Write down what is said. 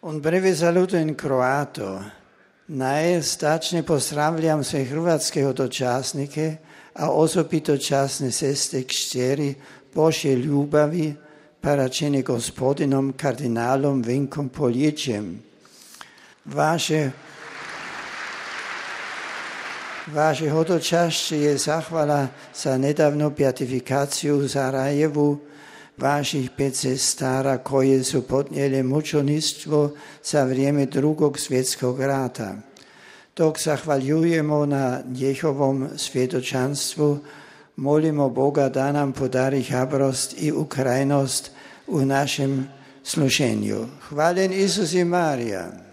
Un breve saluto in croato. Najstačne pozdravljam sve hrvatske hodočasnike, a osobito časne sestre kćeri Božje ljubavi, paračene gospodinom kardinalom Vinkom Poljičem. Vaše hodočašće je zahvala za nedavnu beatifikaciju u Sarajevu vaših 5 sestara koje su podnijele mučeništvo za vrijeme Drugog svjetskog rata. Dok zahvaljujemo na njihovom svjedočanstvu, molimo Boga da nam podari hrabrost i ukrajnost u našem služenju. Hvaljen Isus i Marija.